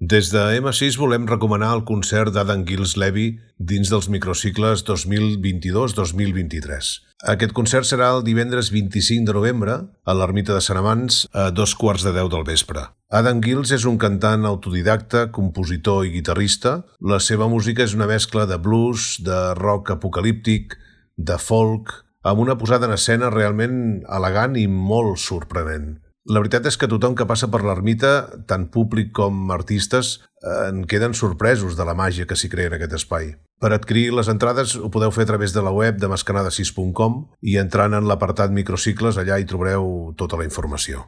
Des de M6 volem recomanar el concert d'Adam Gilles Levy dins dels microcicles 2022-2023. Aquest concert serà el divendres 25 de novembre a l'Ermita de Sant Amants a 2:15 del vespre. Adam Gilles és un cantant autodidacta, compositor i guitarrista. La seva música és una mescla de blues, de rock apocalíptic, de folk, amb una posada en escena realment elegant i molt sorprenent. La veritat és que tothom que passa per l'ermita, tant públic com artistes, en queden sorpresos de la màgia que s'hi crea en aquest espai. Per adquirir les entrades ho podeu fer a través de la web de mascanada6.com i entrant en l'apartat microcicles allà hi trobareu tota la informació.